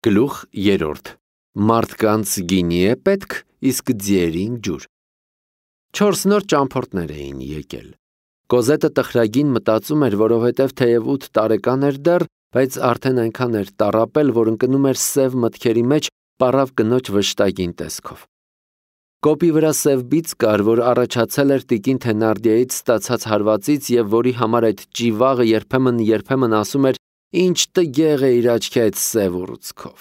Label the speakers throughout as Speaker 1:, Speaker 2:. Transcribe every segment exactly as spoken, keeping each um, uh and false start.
Speaker 1: Գլուխ երրորդ. Մարդկանց գինի է պետք, իսկ ձիերին ջուր։ Չորս նոր ճամփորդներ էին եկել։ Կոզետը տխրագին մտածում էր, որովհետև թեև ութ տարեկան էր դեռ, բայց արդեն այնքան էր տառապել, որ ընկնում էր սև մտքերի մեջ պառավ կնոջ վշտագին տեսքով։ Կոպի վրա սև բիծ կար, որ առաջացել էր տիկին Թենարդիեից ստացած հարվածից և որի համար այդ ճիվաղը երբեմն-երբեմն ասում էր. «Ինչ տգեղ է իր աչքի այդ սև ուռուցքով»։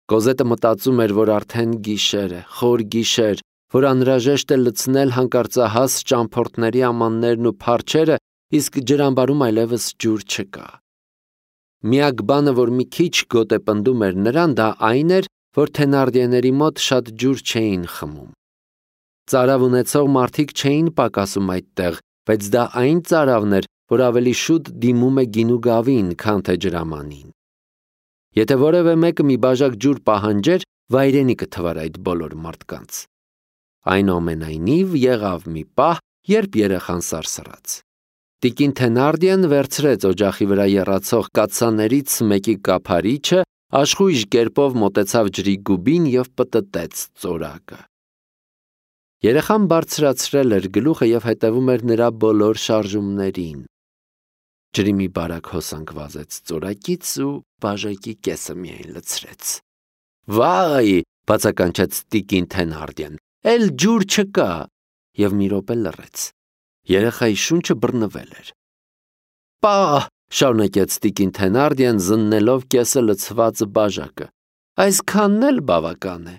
Speaker 1: Կոզետը մտածում էր, որ արդեն գիշեր է, խոր գիշեր, որ անհրաժեշտ է լցնել հանկարծահաս ճամփորդների ամաններն ու փարչերը, իսկ ջրամբարում այլևս ջուր չկա։ Միակ բանը, որ մի քիչ գոտեպնդում էր նրան, դա այն էր, որ Թենարդիեների մոտ շատ ջուր չէին խմում։ Ծարավ ունեցող մարդիկ չէին պակասում այդտեղ, բայց դա այն ծարավն էր, որ ավելի շուտ դիմում է գինու գավին, քան թե ջրամանին։ Եթե որևէ մեկը մի բաժակ ջուր պահանջեր, վայրենի կթվար այդ բոլոր մարդկանց։ Այնուամենայնիվ եղավ մի պահ, երբ երեխան սարսռաց։ Տիկին Թենարդիեն վերցրեց օջախի վրա եռացող կաթսաներից մեկի կափարիչը, աշխույժ կերպով մոտեցավ ջրի գուբին և պտտեց ծորակը։ Երեխան բարձրացրել էր գլուխը և հետևում էր նրա բոլոր շարժումներին։ Ջրի մի բարակ հոսանք վազեց ծորակից ու բաժակի կեսը միայն լցրեց։ «Վայ», բացականչեց տիկին Թենարդիեն, «էլ ջուր չկա», և մի րոպե լռեց։ Երեխայի շունչը բռնվել էր։ «Պա՜», շարունակեց տիկին Թենարդիեն, զննելով կեսը լցված բաժակը, «այսքանն էլ բավական է»։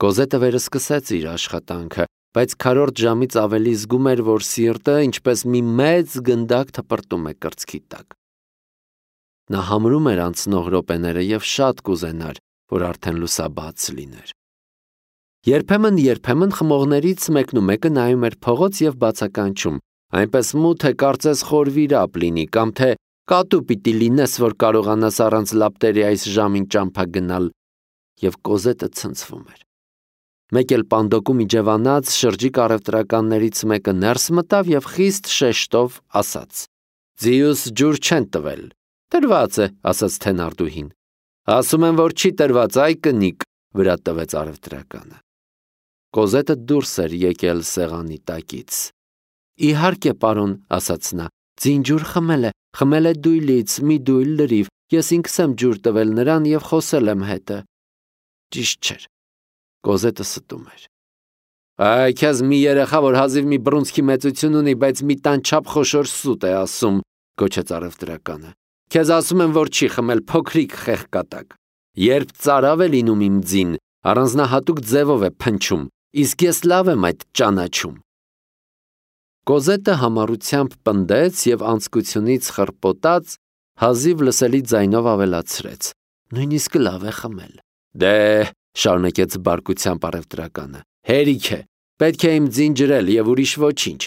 Speaker 1: Կոզետը վերսկսեց իր աշխատանքը, բայց քառորդ ժամից ավելի զգում էր, որ սիրտը ինչպես մի մեծ գնդակ թպրտում է կրծքի տակ։ Նա համրում էր անցնող րոպեները և շատ կուզենար, որ արդեն լուսաբաց լիներ։ Երբեմն-երբեմն խմողներից մեկնումեկը նայում էր փողոց և բացականչում, այնպես մութ է, կարծես խոր վիրապ լինի, կամ թե կատու պիտի լինես, որ կարողանաս առանց լապտերի այս ժամին ճամփա գնալ, և Կոզետը ցնցվում էր։ Մեկ էլ պանդոկում իջևանած շրջիկ առևտրականներից մեկը ներս մտավ և խիստ շեշտով ասաց. «Ձիուս ջուր չեն տվել»։ «Տրված է», ասաց Թենարդուհին։ «Ասում եմ, որ չի տրված, այ կնիկ», վրա տվեց առևտրականը։ Կոզետը դուրս էր եկել սեղանի տակից։ «Իհարկե, պարոն», ասաց նա, «ձին ջուր խմել է, խմել է դույլից, մի դույլ լրիվ, ես ինքս եմ ջուր տվել նրան և խոսել եմ հետը»։ Ճիշտ չէր։ Կոզետը ստում էր։ «Այ քեզ մի երեխա, որ հազիվ մի բռունցքի մեծություն ունի, բայց մի տան չափ խոշոր սուտ է ասում», գոչեց առևտրականը։ «Քեզ ասում եմ, որ չի խմել, փոքրիկ խեղկատակ։ Երբ ծարավ է լինում իմ ձին, առանձնահատուկ ձևով է փնչում, իսկ ես լավ եմ այդ ճանաչում»։ Կոզետը համառությամբ պնդեց և անձկությունից խռպոտած հազիվ լսելի ձայնով ավելացրեց. «Նույնիսկ լավ է խմել»։ «Դե», շարունակեց բարկությամբ առևտրականը, «հերիք է, պետք է իմ ձին ջրել և ուրիշ ոչինչ»։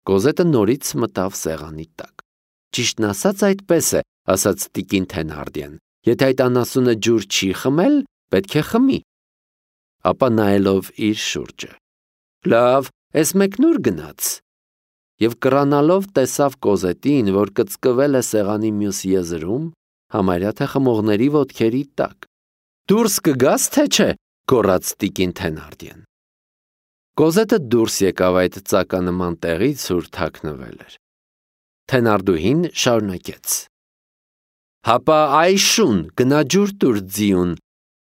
Speaker 1: Կոզետը նորից մտավ սեղանի տակ։ «Ճիշտն ասած այդպես է», ասաց տիկին Թենարդիեն, «եթե այդ անասունը ջուր չի խմել, պետք է խմի»։ Ապա նայելով իր շուրջը. «Լավ, էս մեկն ուր գնաց»։ Եվ կռանալով տեսավ Կոզետին, որ կծկվել է սեղանի մյուս եզրում, համարյա թե խմողների ոտքերի տակ։ «Դուրս կգաս, թե չէ», գոռաց տիկին Թենարդիեն։ Կոզետը դուրս եկավ այդ ծականման տեղից, ուր թաքնվել էր։ Թենարդուհին շարունակեց. «Հապա այշուն, գնա ջուր տուր ձիուն»։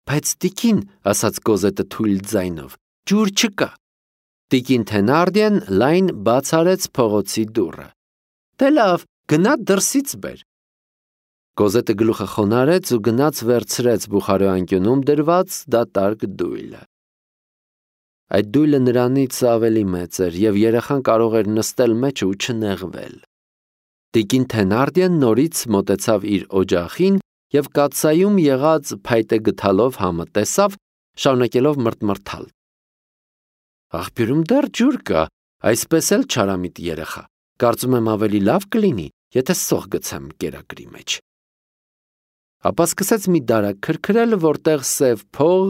Speaker 1: «Բայց տիկին», ասաց Կոզետը թույլ ձայնով, «ջուր չկա»։ Տիկին Թենարդիեն լայն բաց արեց փողոցի դուռը։ «Դե լավ, գնա դրսից բեր»։ Կոզետը գլուխը խոնարհեց ու գնաց վերցրեց բուխարու անկյունում դրված դատարկ դույլը։ Այդ դույլը նրանից ավելի մեծ էր, և երեխան կարող էր նստել մեջը ու չնեղվել։ Տիկին Թենարդիեն նորից մոտեցավ իր օջախին և կաթսայում եղած փայտե գդալով համը տեսավ, շարունակելով մռթմռթալ։ «Աղբյուրում դեռ ջուր կա, այսպես էլ չարամիտ երեխա, կարծում եմ ավելի լավ կլինի, եթե սոխ գցեմ կերակրի մեջ»։ Ապա սկսեց մի դարակ քրքրել, որտեղ սև փող,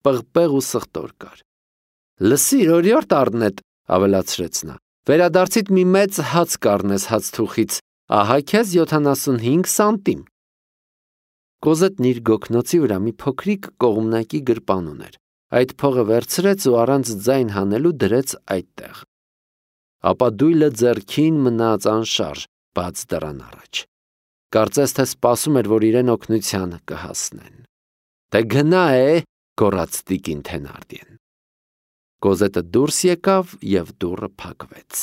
Speaker 1: պղպեղ ու սխտոր կար։ «Լսիր, օրիորդ առնետ», ավելացրեց նա, «վերադարձիդ մի մեծ հաց կառնես հացթուխից, ահա քեզ յոթանասունհինգ սանտիմ»։ Կոզետն իր գոգնոցի վրա մի փոքրիկ կողմնակի գրպան ուներ։ Այդ փողը վերցրեց ու առանց ձայն հանելու դրեց այդտեղ։ Ապա դույլը ձեռքին մնաց անշարժ, բաց դռան առաջ։ Կարծես թե սպասում էր, որ իրեն օգնության կհասնեն։ «Դե գնա է», գոռաց տիկին Թենարդիեն։ Կոզետը դուրս եկավ և դուռը փակվեց։